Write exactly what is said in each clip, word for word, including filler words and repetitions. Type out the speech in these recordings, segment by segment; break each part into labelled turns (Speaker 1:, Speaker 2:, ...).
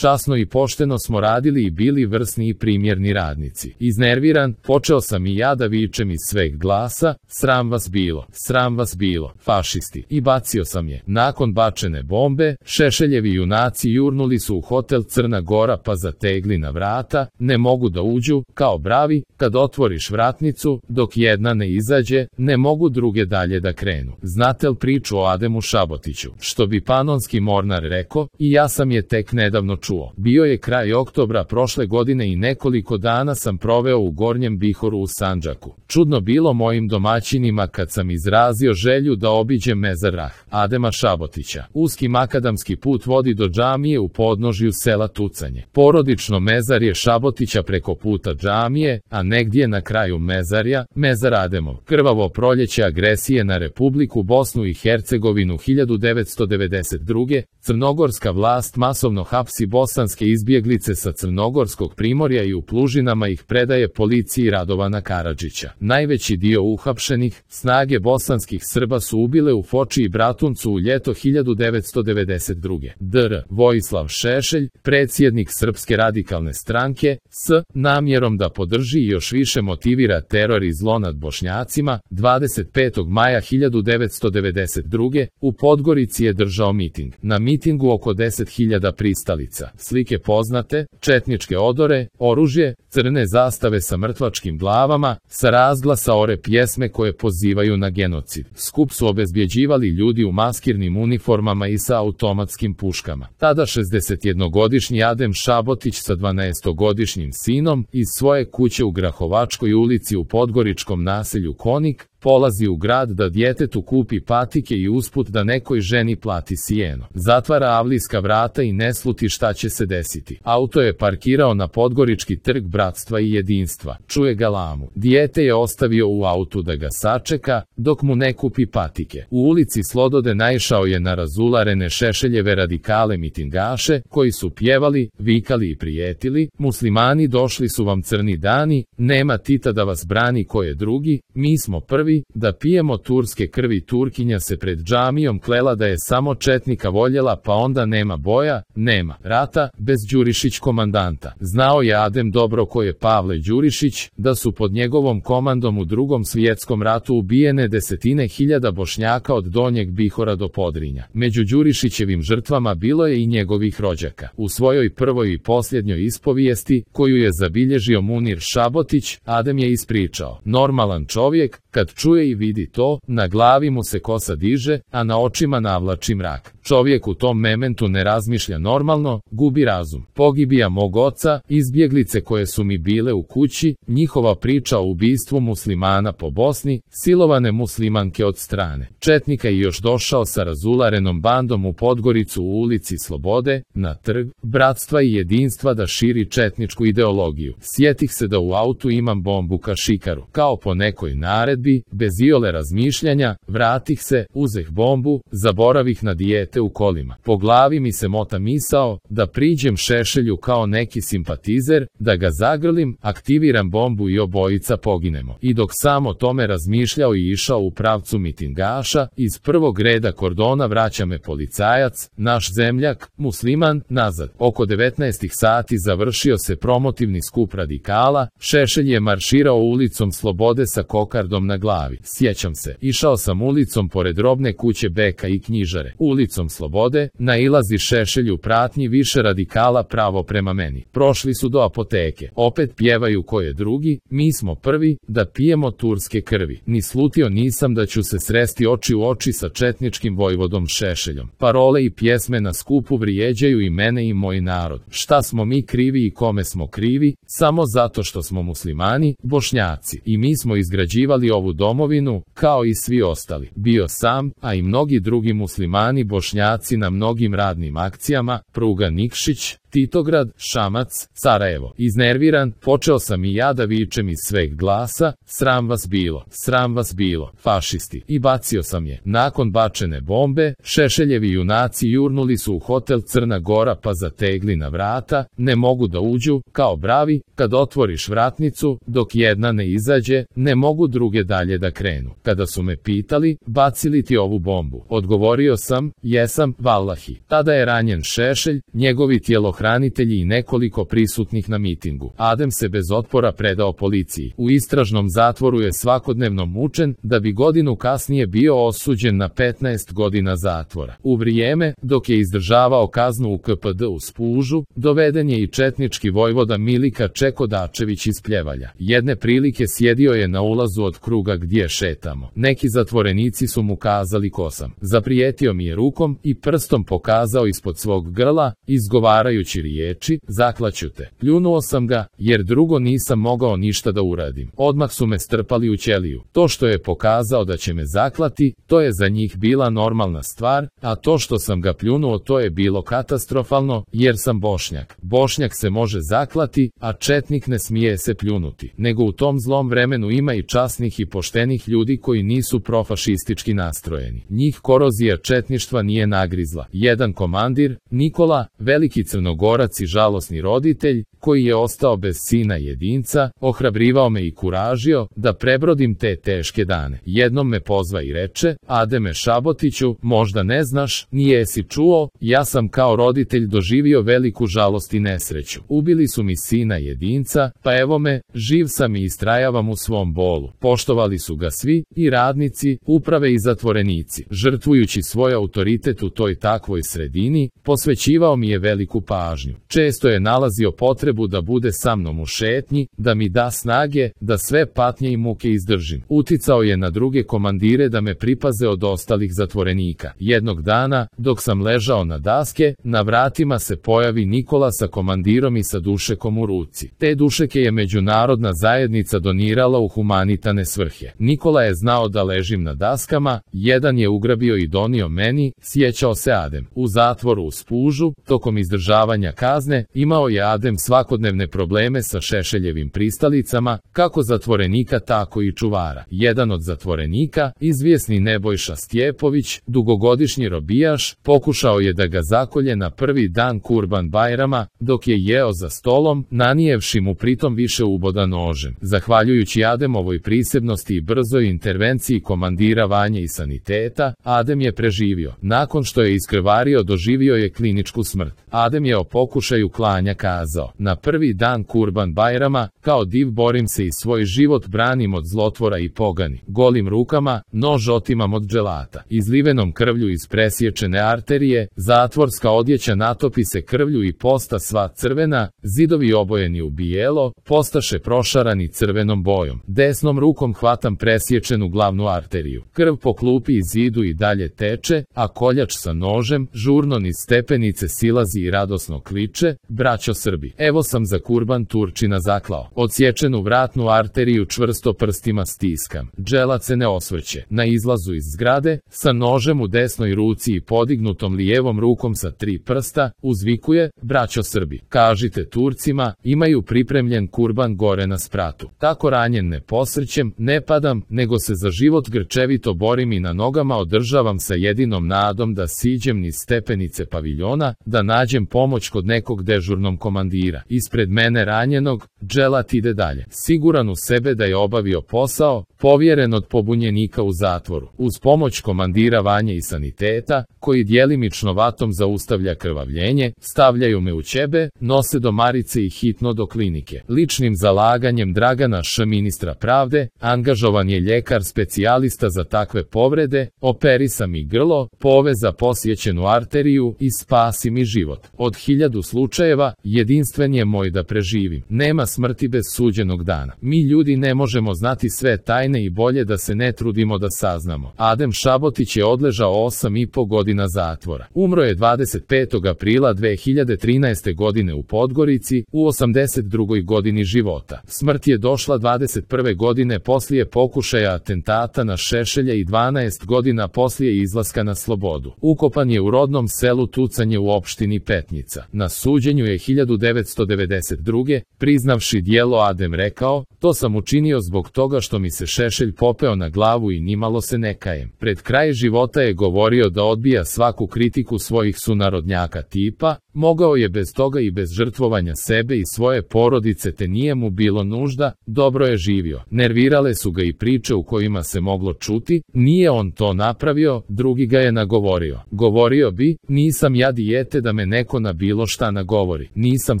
Speaker 1: časno i pošteno smo radili i bili vrsni i primjerni radnici. Iznerviran, počeo sam i ja da vičem iz sveg glasa, sram vas bilo, sram vas bilo, fašisti, i bacio sam je. Nakon bačene bombe, Šešeljevi junaci jurnuli su u hotel Crna Gora pa zategli na vrata, ne mogu da uđu, kao bravi, kad otvoriš vratnicu, dok jedna ne izađe, ne mogu druge dalje da krenu. Znate li priču o Ademu Šabotiću? Što bi panonski mornar rekao, i ja sam je tek nedavno čuo. Bio je kraj oktobra prošle godine i nekoliko dana sam proveo u Gornjem Bihoru u Sandžaku. Čudno bilo mojim domaćinima kad sam izrazio želju da obiđem mezar Rah Adema Šabotića. Uski makadamski put vodi do džamije u podnožju sela Tucanje. Porodično mezarje Šabotića preko puta džamije, a negdje na kraju mezarja, mezar Ademov. Krvavo proljeće agresije na Republiku Bosnu i Hercegovinu hiljadu devetsto devedeset druge. Crnogorska vlast masovno hapsi bosanske izbjeglice sa crnogorskog primorja i u Plužinama ih predaje policiji Radovana Karadžića. Najveći dio uhapšenih, snage bosanskih Srba su ubile u Foči i Bratuncu u ljeto hiljadu devetsto devedeset druge. dr. Vojislav Šešelj, predsjednik Srpske radikalne stranke, s namjerom da podrži i još više motivira teror i zlo nad Bošnjacima, dvadeset petog maja hiljadu devetsto devedeset druge. u Podgorici je držao miting. Na mitingu oko deset hiljada pristalica. Slike poznate, četničke odore, oružje, crne zastave sa mrtvačkim glavama, sa razglasa ore pjesme koje pozivaju na genocid. Skup su obezbjeđivali ljudi u maskirnim uniformama i sa automatskim puškama. Tada šezdesetjednogodišnji Adem Šabotić sa dvanaestogodišnjim sinom iz svoje kuće u Grahovačkoj ulici u podgoričkom naselju Konik polazi u grad da djetetu kupi patike i usput da nekoj ženi plati sijeno. Zatvara avlijska vrata i ne sluti šta će se desiti. Auto je parkirao na Podgorički trg Bratstva i Jedinstva. Čuje galamu. Dijete je ostavio u autu da ga sačeka, dok mu ne kupi patike. U ulici Slodode naišao je na razularene Šešeljeve radikale mitingaše, koji su pjevali, vikali i prijetili: muslimani, došli su vam crni dani, nema Tita da vas brani ko je drugi, mi smo prvi, da pijemo turske krvi. Turkinja se pred džamijom klela da je samo četnika voljela, pa onda nema boja, nema rata, bez Đurišić komandanta. Znao je Adem dobro ko je Pavle Đurišić, da su pod njegovom komandom u Drugom svjetskom ratu ubijene desetine hiljada Bošnjaka od Donjeg Bihora do Podrinja. Među Đurišićevim žrtvama bilo je i njegovih rođaka. U svojoj prvoj i posljednjoj ispovijesti, koju je zabilježio Munir Šabotić, Adem je ispričao: normalan čovjek, kad čuje i vidi to, na glavi mu se kosa diže, a na očima navlači mrak. Čovjek u tom momentu ne razmišlja normalno, gubi razum. Pogibija mog oca, izbjeglice koje su mi bile u kući, njihova priča o ubistvu muslimana po Bosni, silovane muslimanke od strane četnika i još došao sa razularenom bandom u Podgoricu u ulici Slobode, na trg Bratstva i Jedinstva da širi četničku ideologiju. Sjetih se da u autu imam bombu kašikaru. Kao po nekoj naredbi, bez iole razmišljanja, vratih se, uzeh bombu, zaboravih na dijete u kolima. Po glavi mi se mota misao, da priđem Šešelju kao neki simpatizer, da ga zagrlim, aktiviram bombu i obojica poginemo. I dok sam o tome razmišljao i išao u pravcu mitingaša, iz prvog reda kordona vraća me policajac, naš zemljak, musliman, nazad. Oko devetnaest sati završio se promotivni skup radikala, Šešelj je marširao ulicom Slobode sa kokardom na glavi. Sjećam se, išao sam ulicom pored robne kuće Beka i knjižare. Ulicom Slobode, nailazi Šešelj u pratnji više radikala pravo prema meni. Prošli su do apoteke. Opet pjevaju ko je drugi, mi smo prvi, da pijemo turske krvi. Ni slutio nisam da ću se sresti oči u oči sa četničkim vojvodom Šešeljom. Parole i pjesme na skupu vrijeđaju i mene i moj narod. Šta smo mi krivi i kome smo krivi? Samo zato što smo muslimani, Bošnjaci. I mi smo izgrađivali ovu domovinu, kao i svi ostali. Bio sam, a i mnogi drugi muslimani Bošnjaci na mnogim radnim akcijama, pruga Nikšić, Titograd, Šamac, Sarajevo. Iznerviran, počeo sam i ja da vičem iz sveg glasa: sram vas bilo, sram vas bilo, fašisti, i bacio sam je. Nakon bačene bombe, Šešeljevi junaci jurnuli su u hotel Crna Gora pa zategli na vrata, ne mogu da uđu, kao bravi, kad otvoriš vratnicu, dok jedna ne izađe, ne mogu druge dalje da krenu. Kada su me pitali: bacili ti ovu bombu? Odgovorio sam: jesam, vallahi. Tada je ranjen Šešelj, njegovi tijelo telohranitelji i nekoliko prisutnih na mitingu. Adem se bez otpora predao policiji. U istražnom zatvoru je svakodnevno mučen, da bi godinu kasnije bio osuđen na petnaest godina zatvora. U vrijeme, dok je izdržavao kaznu u K P D u Spužu, doveden je i četnički vojvoda Milika Čekodačević iz Pljevalja. Jedne prilike sjedio je na ulazu od kruga gdje šetamo. Neki zatvorenici su mu kazali ko sam. Zaprijetio mi je rukom i prstom pokazao ispod svog grla, izgovarajući riječi, zaklaću te. Pljunuo sam ga, jer drugo nisam mogao ništa da uradim. Odmah su me strpali u ćeliju. To što je pokazao da će me zaklati, to je za njih bila normalna stvar, a to što sam ga pljunuo, to je bilo katastrofalno, jer sam Bošnjak. Bošnjak se može zaklati, a četnik ne smije se pljunuti. Nego u tom zlom vremenu ima i časnih i poštenih ljudi koji nisu profašistički nastrojeni. Njih korozija četništva nije nagrizla. Jedan komandir, Nikola, veliki Crnogorac i žalosni roditelj, koji je ostao bez sina jedinca, ohrabrivao me i kuražio da prebrodim te teške dane. Jednom me pozva i reče, Ademe Šabotiću, možda ne znaš, nijesi čuo, ja sam kao roditelj doživio veliku žalost i nesreću. Ubili su mi sina jedinca, pa evo me, živ sam i istrajavam u svom bolu. Poštovali su ga svi, i radnici, uprave i zatvorenici. Žrtvujući svoj autoritet u toj takvoj sredini, posvećivao mi je veliku pažnju. Često je nalazio potrebu da bude sa mnom u šetnji, da mi da snage, da sve patnje i muke izdržim. Uticao je na druge komandire da me pripaze od ostalih zatvorenika. Jednog dana, dok sam ležao na daske, na vratima se pojavi Nikola sa komandirom i sa dušekom u ruci. Te dušeke je međunarodna zajednica donirala u humanitane svrhe. Nikola je znao da ležim na daskama, jedan je ugrabio i donio meni, sjećao se Adem. U zatvoru u Spužu, tokom izdržavanja kazne, imao je Adem svakodnevne probleme sa Šešeljevim pristalicama, kako zatvorenika tako i čuvara. Jedan od zatvorenika, izvjesni Nebojša Stjepović, dugogodišnji robijaš, pokušao je da ga zakolje na prvi dan Kurban Bajrama, dok je jeo za stolom, nanijevši mu pritom više uboda nožem. Zahvaljujući Ademovoj prisebnosti i brzoj intervenciji komandira Vanje i saniteta, Adem je preživio. Nakon što je iskrvario, doživio je kliničku smrt. Adem je o pokušaju klanja kazao, na prvi dan Kurban Bajrama, kao div borim se i svoj život branim od zlotvora i pogani. Golim rukama, nož otimam od dželata. Izlivenom krvlju iz presječene arterije, zatvorska odjeća natopi se krvlju i posta sva crvena, zidovi obojeni u bijelo, postaše prošarani crvenom bojom. Desnom rukom hvatam presječenu glavnu arteriju. Krv po klupi i zidu i dalje teče, a koljač sa nožem, žurno niz stepenice silazi i radosno kliče, braćo Srbi, evo sam za Kurban Turčina zaklao. Odsječenu vratnu arteriju čvrsto prstima stiskam. Dželat se ne osvrće. Na izlazu iz zgrade, sa nožem u desnoj ruci i podignutom lijevom rukom sa tri prsta, uzvikuje, braćo Srbi, kažite Turcima, imaju pripremljen kurban gore na spratu. Tako ranjen ne posrćem, ne padam, nego se za život grčevito borim i na nogama održavam sa jedinom nadom da siđem niz stepenice paviljona, da nađem pomoć kod nekog dežurnom komandira. Ispred mene ranjenog, dželat ide dalje. Siguran u sebe da je obavio posao, povjeren od pobunjenika u zatvoru. Uz pomoć komandira Vanje i saniteta, koji djelimično vatom zaustavlja krvavljenje, stavljaju me u ćebe, nose do Marice i hitno do klinike. Ličnim zalaganjem Dragana Š. ministra pravde, angažovan je ljekar specijalista za takve povrede, operisa mi grlo, poveza posjećenu arteriju i spasi mi život. Od hiljadu slučajeva, jedinstven je moj da preživim. Nema smrti bez suđenog dana. Mi ljudi ne možemo znati sve tajne i bolje da se ne trudimo da saznamo. Adem Šabotić je odležao osam i po godina zatvora. Umro je dvadeset petog aprila dve hiljade trinaeste. godine u Podgorici, u osamdeset drugoj godini života. Smrt je došla dvadeset prve godine poslije pokušaja atentata na Šešelja i dvanaest godina poslije izlaska na slobodu. Ukopan je u rodnom selu Tucanje u opštini Petnica. Na suđenju je hiljadu devetsto devedeset druge. priznavši djelo Adem rekao, to sam učinio zbog toga što mi se Šešelj popeo na glavu i nimalo se ne kajem. Pred kraj života je govorio da odbija svaku kritiku svojih sunarodnjaka tipa, Mogao je bez toga i bez žrtvovanja sebe i svoje porodice, te nije mu bilo nužda, dobro je živio. Nervirale su ga i priče u kojima se moglo čuti, nije on to napravio, drugi ga je nagovorio. Govorio bi, nisam ja dijete da me neko na bilo šta nagovori. Nisam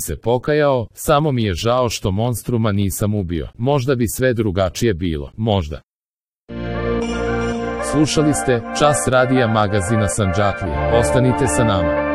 Speaker 1: se pokajao, samo mi je žao što monstruma nisam ubio. Možda bi sve drugačije bilo, možda. Slušali ste Čas radija magazina Sandžaklija. Ostanite sa nama.